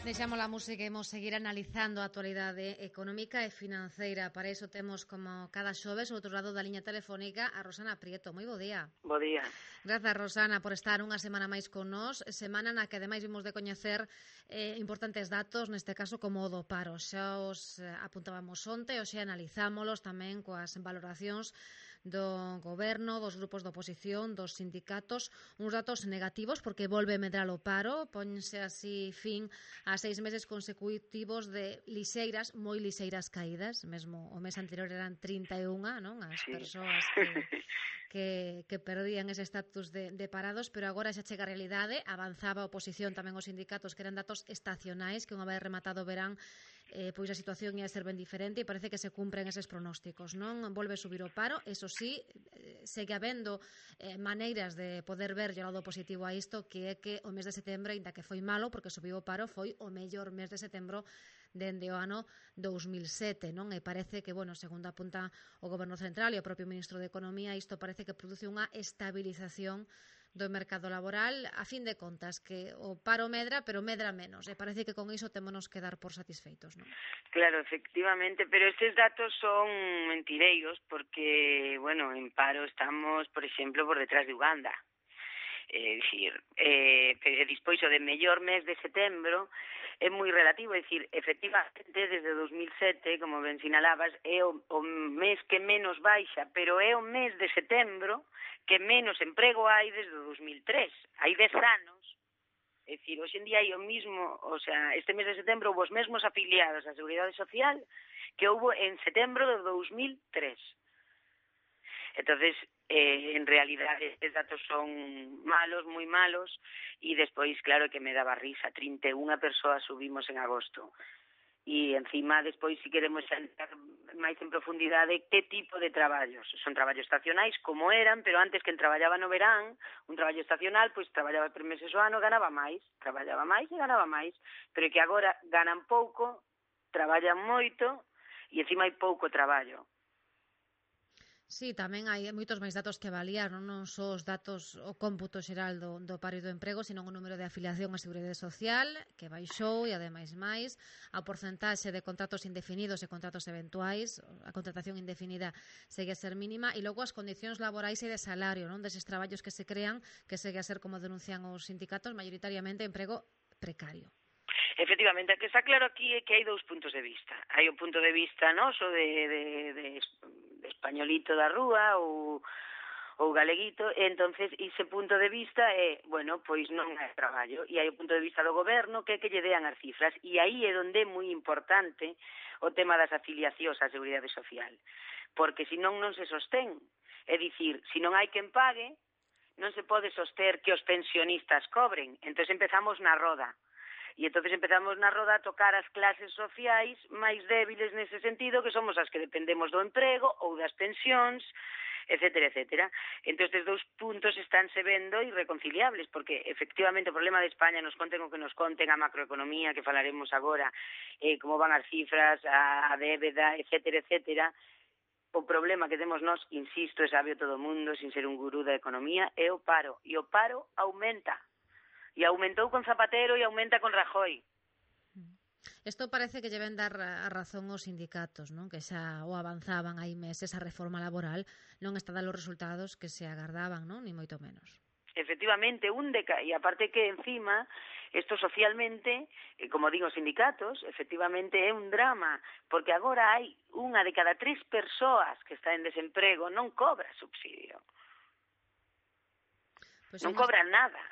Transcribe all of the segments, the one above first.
Deixamos a música e imos seguir analizando a actualidade económica e financeira. Para iso temos, como cada xoves, ao outro lado da liña telefónica, a Rosana Prieto. Moi bo día. Bo día. Grazas, Rosana, por estar unha semana máis con nós. Semana na que, ademais, vimos de coñecer importantes datos, neste caso, como o do paro. Xa os apuntábamos onte, hoxe analizámolos tamén coas valoracións do goberno, dos grupos de oposición, dos sindicatos, uns datos negativos porque volve medrar o paro, ponse así fin a 6 meses consecutivos de lixeiras, moi lixeiras caídas, mesmo o mes anterior eran 31, non? As persoas que perdían ese estatus de parados, pero agora xa chega a realidade, avanzaba a oposición tamén os sindicatos que eran datos estacionais, que unha vez rematado o verán pois a situación ia ser ben diferente e parece que se cumpren eses pronósticos, non? Volve a subir o paro, eso sí, segue habendo maneiras de poder ver o lado positivo a isto, que é que o mes de setembro, ainda que foi malo, porque subiu o paro, foi o mellor mes de setembro dende o ano 2007, non? E parece que, bueno, segundo apunta o Goberno Central e o propio Ministro de Economía, isto parece que produce unha estabilización do mercado laboral, a fin de contas, que o paro medra, pero medra menos, e parece que con iso témonos que dar por satisfeitos, non? Claro, efectivamente, pero estes datos son mentireiros porque, bueno, en paro estamos, por exemplo, por detrás de Uganda. É dicir, despois o de mellor mes de setembro é moi relativo, é dicir, efectivamente, desde 2007, como ben sinalabas, é o mes que menos baixa, pero é o mes de setembro que menos emprego hai desde 2003. Hai 10 anos, é dicir, hoxe en día hai o mismo, o sea, este mes de setembro houve os mesmos afiliados á Seguridade Social que houve en setembro de 2003. Entonces, en realidade, estes datos son malos, moi malos, e despois, claro, que me daba risa, 31 persoas subimos en agosto. E, encima, despois, si queremos entrar máis en profundidade, que tipo de traballos? Son traballos estacionais, como eran, pero antes que traballaba no verán, un traballo estacional, pois traballaba 3 meses ao ano, ganaba máis, traballaba máis e ganaba máis, pero que agora ganan pouco, traballan moito, e encima hai pouco traballo. Sí, tamén hai moitos máis datos que avaliar, non só os datos, o cómputo xeral do paro e do emprego, sino o número de afiliación á Seguridade Social, que baixou, e ademais máis, a porcentaxe de contratos indefinidos e contratos eventuais, a contratación indefinida segue a ser mínima, e logo as condicións laborais e de salario, non, deses traballos que se crean, que segue a ser, como denuncian os sindicatos, maioritariamente emprego precario. Efectivamente, o que está claro aquí é que hai dous puntos de vista. Hai o punto de vista noso de españolito da rúa ou galeguito, e entonces ese punto de vista é, bueno, pois non hai traballo, e hai o punto de vista do goberno que é que lle dean as cifras, e aí é onde é moi importante o tema das afiliacións á Seguridade Social, porque senón non se sostén, é dicir, se non hai quen pague, non se pode soster que os pensionistas cobren, entonces empezamos na roda. E entón empezamos na roda a tocar as clases sociais máis débiles nese sentido, que somos as que dependemos do emprego ou das pensións, etcétera, etcétera. Entón, estes dous puntos estánse vendo irreconciliables, porque, efectivamente, o problema de España, nos conten o que nos conten a macroeconomía, que falaremos agora, como van as cifras, a débeda, etcétera, etcétera. O problema que temos nós, insisto, é sabio todo o mundo, sin ser un gurú da economía, é o paro. E o paro aumenta. E aumentou con Zapatero e aumenta con Rajoy. Isto parece que lle ven dar a razón aos sindicatos, non? Que xa o avanzaban hai meses a reforma laboral, non está dando os resultados que se agardaban, non? Ni moito menos. Efectivamente, e aparte que encima, isto socialmente, como digo, os sindicatos, efectivamente é un drama, porque agora hai unha de cada 3 persoas que está en desemprego non cobra subsidio. Pues non cobra nada.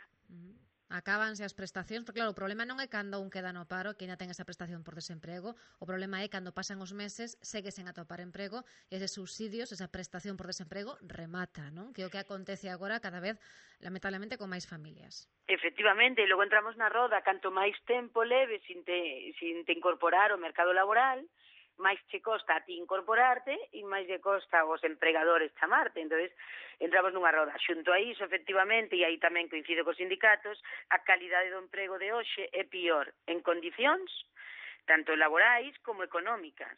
Acábanse as prestacións, porque claro, o problema non é cando un queda no paro, que ainda ten esa prestación por desemprego, o problema é cando pasan os meses, segue sen atopar emprego, e eses subsidios, esa prestación por desemprego, remata, non? Que é o que acontece agora cada vez, lamentablemente, con máis familias. Efectivamente, e logo entramos na roda, canto máis tempo leves sin te incorporar ao mercado laboral, máis che costa a ti incorporarte e máis lle costa aos empregadores chamarte. Entonces, entramos nunha roda. Xunto a iso, efectivamente, e aí tamén coincido cos sindicatos, a calidade do emprego de hoxe é pior en condicións tanto laborais como económicas.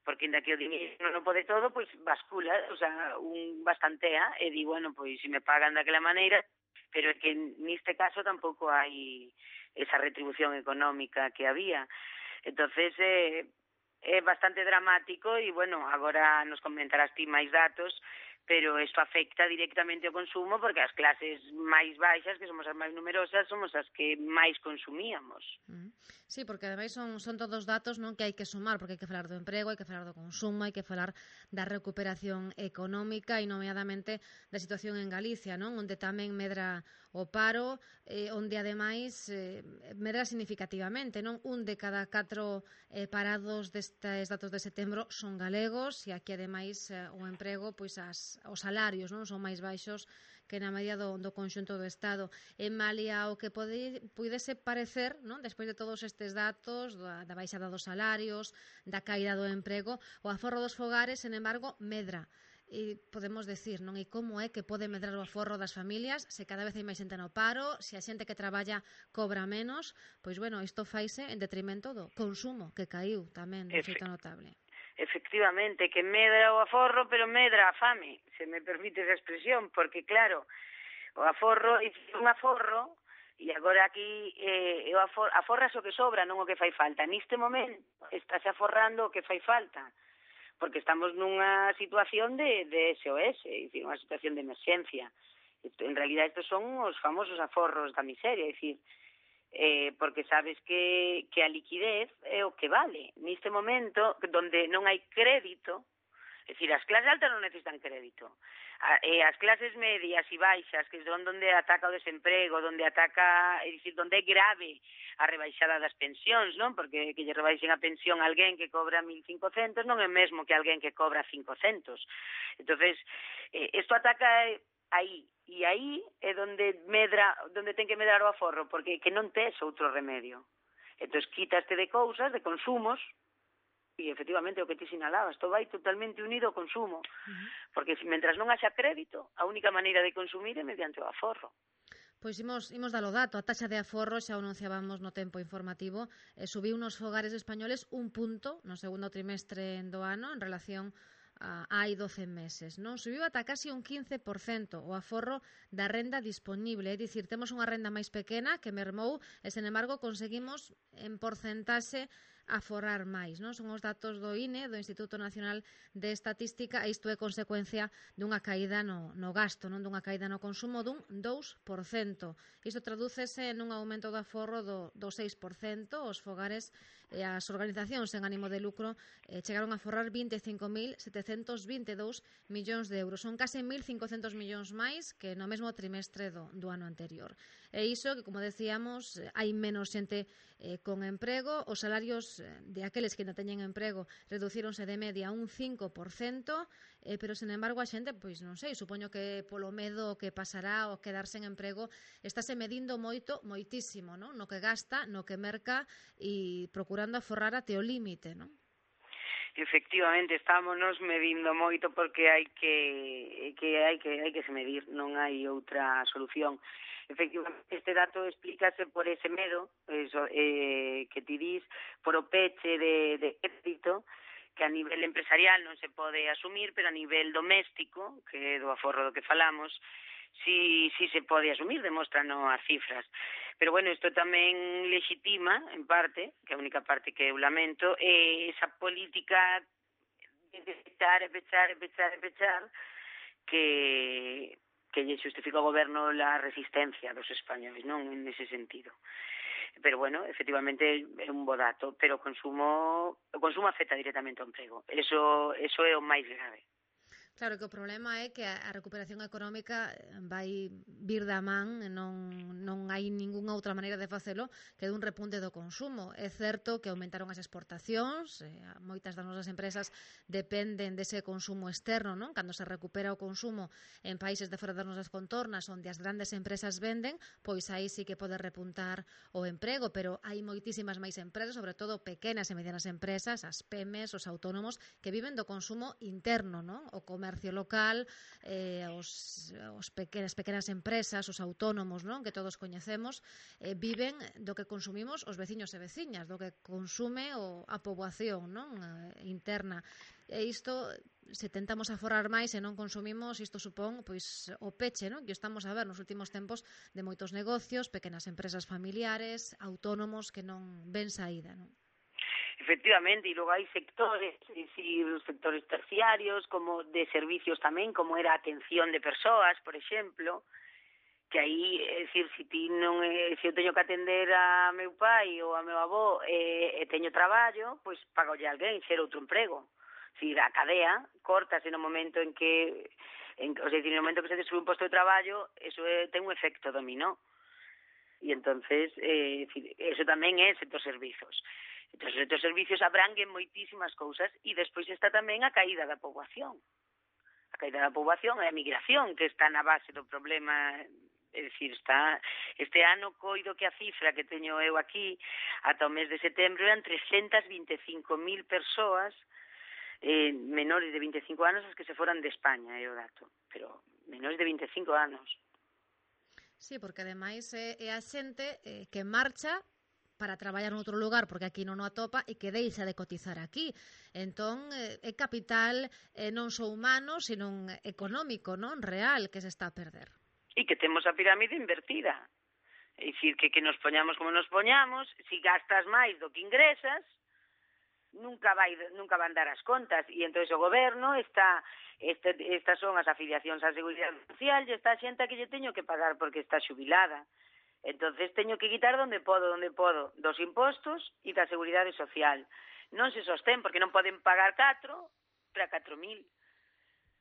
Porque inda que o dinheiro non pode todo, pois bascula, o sea, un bastantea e di, bueno, pois se me pagan daquela maneira, pero é que neste caso tampouco hai esa retribución económica que había. Entonces, é bastante dramático e, bueno, agora nos comentarás ti máis datos, pero isto afecta directamente ao consumo porque as clases máis baixas, que somos as máis numerosas, somos as que máis consumíamos. Sí, porque ademais son todos datos, non, que hai que sumar, porque hai que falar do emprego, hai que falar do consumo, hai que falar da recuperación económica e nomeadamente da situación en Galicia, non, onde tamén medra o paro, onde ademais medra significativamente, non, un de cada 4 parados destes datos de setembro son galegos e aquí ademais o emprego, pois os salarios, non, son máis baixos que na media do conxunto do Estado. En malia o que pudese parecer, non, despois de todos estes datos, da baixada dos salarios, da caída do emprego, o aforro dos fogares, sen embargo, medra. E podemos decir, non, e como é que pode medrar o aforro das familias se cada vez hai máis xente no paro, se a xente que traballa cobra menos, pois, bueno, isto faise en detrimento do consumo, que caíu tamén de xeito notable. Efectivamente, que medra o aforro, pero medra a fame, se me permite esa expresión, porque claro, o aforro, un aforro, e agora aquí aforras o que sobra, non o que fai falta. Neste momento estáse aforrando o que fai falta, porque estamos nunha situación de SOS, é dicir, unha situación de emerxencia. En realidad estos son os famosos aforros da miseria, é dicir, porque sabes que a liquidez é o que vale. Neste momento, donde non hai crédito, é dicir, as clases altas non necesitan crédito. As clases medias e baixas, que son onde ataca o desemprego, onde ataca, é dicir, onde é grave a rebaixada das pensións, non? Porque que lle rebaixen a pensión a alguén que cobra 1.500 non é mesmo que alguén que cobra 500. Entonces, isto ataca aí. E aí é onde ten que medrar o aforro, porque que non tes outro remedio. Entón, quítaste de cousas, de consumos, e efectivamente o que te sinalabas, todo vai totalmente unido ao consumo, porque mentras non haxa crédito, a única maneira de consumir é mediante o aforro. Pois imos dar o dato, a taxa de aforro, xa o anunciábamos no tempo informativo, subiu nos fogares españoles 1 punto no segundo trimestre do ano en relación hai 12 meses, non? Subiu ata casi un 15% o aforro da renda disponible, é dicir, temos unha renda máis pequena que mermou e, sen embargo, conseguimos en porcentaxe aforrar máis, non? Son os datos do INE, do Instituto Nacional de Estatística, e isto é consecuencia dunha caída no gasto, non, dunha caída no consumo dun 2%. Isto tradúcese nun aumento do aforro do 6%. Os fogares e as organizacións sen ánimo de lucro chegaron a aforrar 25.722 millóns de euros. Son case 1.500 millóns máis que no mesmo trimestre do ano anterior. E iso que, como decíamos, hai menos xente con emprego. Os salarios de aqueles que non teñen emprego reducíronse de media un 5%, pero, sen embargo, a xente, pois non sei, supoño que polo medo que pasará ao quedarse en emprego, estáse medindo moitísimo, non? No que gasta, no que merca e procurando aforrar até o límite, non? Efectivamente, estámonos medindo moito porque hai que se medir, non hai outra solución. Efectivamente, este dato explícase por ese medo, que ti dis, por o peche de crédito, que a nivel empresarial non se pode asumir, pero a nivel doméstico, que é do aforro do que falamos, si se pode asumir, demostran as cifras. Pero, bueno, isto tamén legitima, en parte, que é a única parte que eu lamento, esa política de pechar, que lle justifica o goberno la resistencia dos españoles, non? En ese sentido. Pero, bueno, efectivamente é un bo dato, pero o consumo afecta directamente ao emprego. Eso é o máis grave. Claro que o problema é que a recuperación económica vai vir da man, non hai ningunha outra maneira de facelo que dun repunte do consumo. É certo que aumentaron as exportacións, moitas das nosas empresas dependen dese consumo externo, non? Cando se recupera o consumo en países de fora das nosas contornas onde as grandes empresas venden, pois aí sí que pode repuntar o emprego, pero hai moitísimas máis empresas, sobre todo pequenas e medianas empresas, as PEMES, os autónomos, que viven do consumo interno, non? O comercio comercio local, as pequenas empresas, os autónomos, non? Que todos coñecemos, viven do que consumimos os veciños e veciñas, do que consume a poboación, non? Interna. E isto, se tentamos aforrar máis e non consumimos, isto supón pois o peche, non? Que estamos a ver nos últimos tempos de moitos negocios, pequenas empresas familiares, autónomos que non ven saída, non? Efectivamente, e logo hai sectores, é dicir, sectores terciarios, como de servicios tamén, como era a atención de persoas, por exemplo, que aí, é dicir, se eu teño que atender a meu pai ou a meu avó e teño traballo, pois pagolle alguén ser outro emprego. É dicir, a cadea cortase no momento en que, no momento que se destrue un posto de traballo, eso ten un efecto dominó. E entonces, eso tamén é sector servizos. Entón, os sector servicios abranguen moitísimas cousas e despois está tamén a caída da poboación. A caída da poboación e a migración que está na base do problema. É dicir, este ano coido que a cifra que teño eu aquí ata o mes de setembro eran 325.000 persoas menores de 25 anos as que se foran de España, é o dato, pero menores de 25 anos. Sí, porque ademais é a xente que marcha para traballar noutro lugar, porque aquí non o atopa, e que deixa de cotizar aquí. Entón, é capital non só humano, sino económico, non? Real, que se está a perder. E que temos a pirámide invertida. É dicir, que nos poñamos como nos poñamos, se gastas máis do que ingresas, nunca van dar as contas. E entón o goberno estas son as afiliacións á Seguridade Social e está a xente que lle teño que pagar porque está xubilada. Entonces teño que quitar donde podo, dos impostos e da Seguridade Social. Non se sostén, porque non poden pagar 4 para 4.000.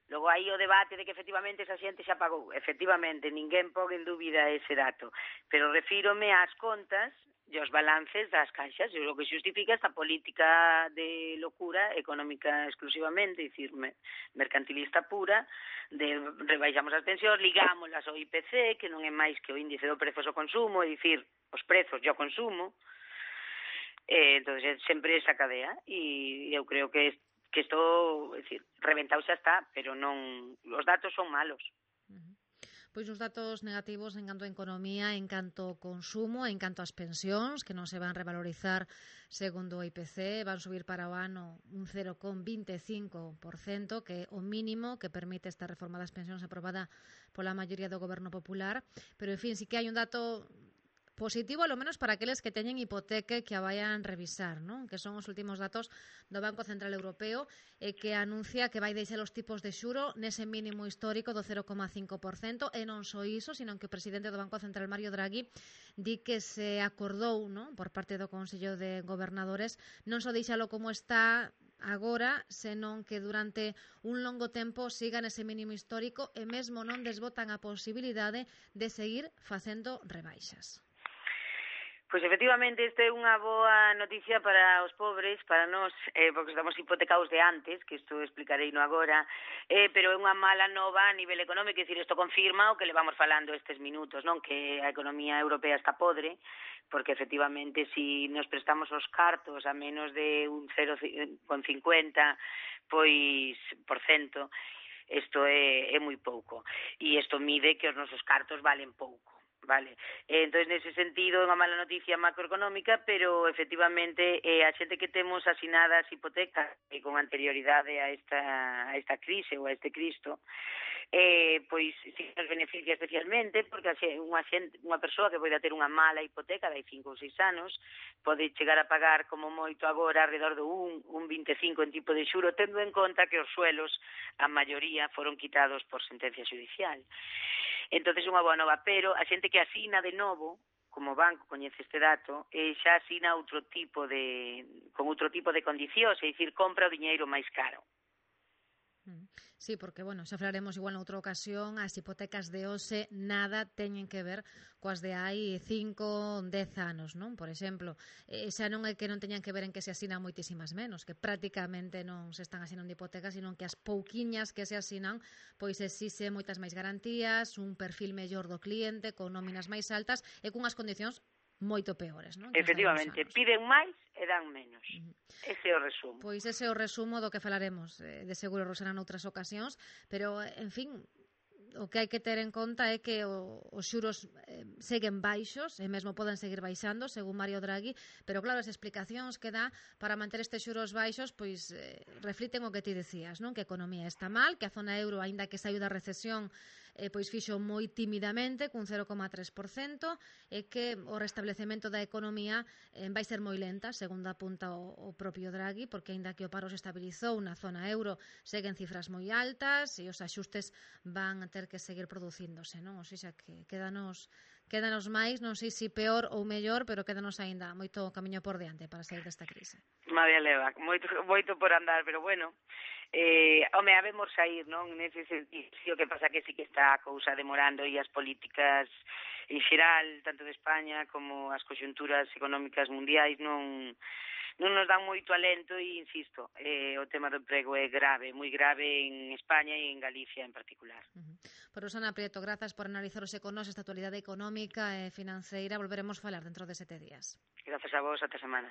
Logo aí o debate de que efectivamente esa xente xa pagou. Efectivamente, ninguén pon en dúbida ese dato. Pero refírome ás contas e aos balances das caixas, e o que xustifica esta política de locura económica exclusivamente, dicir, mercantilista pura, de rebaixamos as pensións, ligámolas ao IPC, que non é máis que o índice do prezos ao consumo, é dicir, os prezos e o consumo. Entón, sempre esa cadea, e eu creo que isto, é dicir, reventado xa está, pero non, os datos son malos. Pois os datos negativos en canto a economía, en canto ao consumo, en canto ás pensións, que non se van revalorizar segundo o IPC, van subir para o ano un 0,25%, que é o mínimo que permite esta reforma das pensións aprobada pola maioría do Goberno Popular. Pero, en fin, sí que hai un dato positivo, ao menos para aqueles que teñen hipoteca e que a vayan revisar, non? Que son os últimos datos do Banco Central Europeo, que anuncia que vai deixar os tipos de xuro nese mínimo histórico do 0,5%, e non só iso, sino que o presidente do Banco Central, Mario Draghi, di que se acordou, non, por parte do Consello de Gobernadores, non só deixalo como está agora, senón que durante un longo tempo siga nese mínimo histórico e mesmo non desbotan a posibilidade de seguir facendo rebaixas. Pois efectivamente, esta é unha boa noticia para os pobres, para nós, porque estamos hipotecados de antes, que isto explicarei no agora, pero é unha mala nova a nivel económico, é dicir, isto confirma o que le vamos falando estes minutos, non? Que a economía europea está podre, porque efectivamente, se nos prestamos os cartos a menos de un 0,50 pois por cento, isto é moi pouco. E isto mide que os nosos cartos valen pouco. Vale, entón nese sentido é unha mala noticia macroeconómica, pero efectivamente a xente que temos asinadas hipotecas con anterioridade a esta crise ou a este Cristo, pois si nos beneficia especialmente, porque unha persoa que pode ter unha mala hipoteca de 5 ou 6 anos pode chegar a pagar como moito agora alrededor do 1,25 en tipo de xuro, tendo en conta que os suelos, a maioría, foron quitados por sentencia judicial. Entón, é unha boa nova, pero a xente que asina de novo, como banco coñece este dato, xa asina con outro tipo de condicións, é dicir, compra o diñeiro máis caro. Sí, porque, bueno, xa falaremos igual noutra ocasión, as hipotecas de hoxe nada teñen que ver coas de hai 5, 10 anos, non? Por exemplo, xa non é que non teñan que ver en que se asinan moitísimas menos, que prácticamente non se están asinando hipotecas, sino que as pouquiñas que se asinan, pois exixe moitas máis garantías, un perfil mellor do cliente, con nóminas máis altas e cunhas condicións moito peores, non? Efectivamente, piden máis e e dan menos. Ese é o resumo. Pois ese é o resumo do que falaremos de seguro, Rosana, noutras ocasións, pero, en fin, o que hai que ter en conta é que os xuros seguen baixos e mesmo poden seguir baixando, según Mario Draghi, pero claro, as explicacións que dá para manter estes xuros baixos pois refliten o que ti decías, non? Que a economía está mal, que a zona euro, aínda que saiu da recesión, pois fixo moi tímidamente, cun 0,3%, e que o restablecemento da economía vai ser moi lenta, segundo apunta o propio Draghi, porque aínda que o paro se estabilizou na zona euro, seguen cifras moi altas e os axustes van a ter que seguir producíndose, non? O sea, que quédanos máis, non sei se peor ou mellor, pero quédanos aínda moito camiño por diante para sair desta crise. Madre leva, moito por andar, pero bueno, home, habemos sair, non? Nese sentido, o que pasa que sí que está a cousa demorando e as políticas en xeral, tanto de España como as conxunturas económicas mundiais non nos dan moito alento e, insisto, o tema do emprego é grave, moi grave en España e en Galicia en particular. Por Rosana Prieto, grazas por analizar hoxe con nós esta actualidade económica e financeira. Volveremos falar dentro de 7 días. Grazas a vos, ata semana.